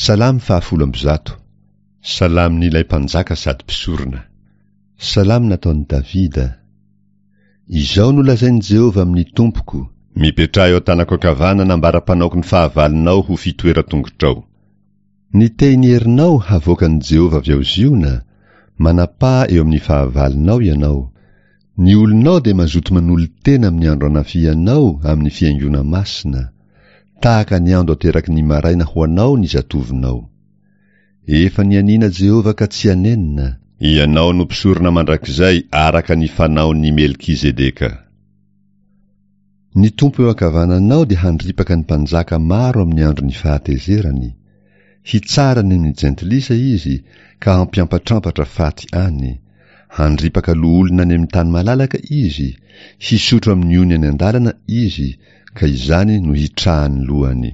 Salamo fahafolo ambizato. Salamon'ilay mpanjaka sady mpisorona. Salamo nataon'i Davida. Izao no lazain'i Jehovah amin'ny Tompoko. Mipetraha eo an-tanako ankavanana ambara-panaoko ny fahavalonao ho fitoeran-tongotrao. Ny tehin'ny herinao havoakan'i Jehovah avy ao Ziona, manapaha eo amin'ny fahavalonao ianao. Ny olonao dia mazoto manolo-tena amin'ny andro anafihanao amin'ny fihaingoana masina, tahaka ny ando ateraky ny maraina ho anao ny zatovonao. Efa nianiana Jehovah ka tsy hanenina. Ianao no mpisorona mandrakizay araka ny fanaon'i Melkizedeka. Ny Tompo eo ankavananao dia handripaka ny mpanjaka maro amin'ny andron'ny fahatezerany. Hitsara ny amin'ny jentilisa izy ka hampiampatrampatra faty any. Handripaka loholona any amin'ny tany malalaka izy, hisotro amin'ny ony any an-dalana izy, ka izany no hitrahan'ny lohany.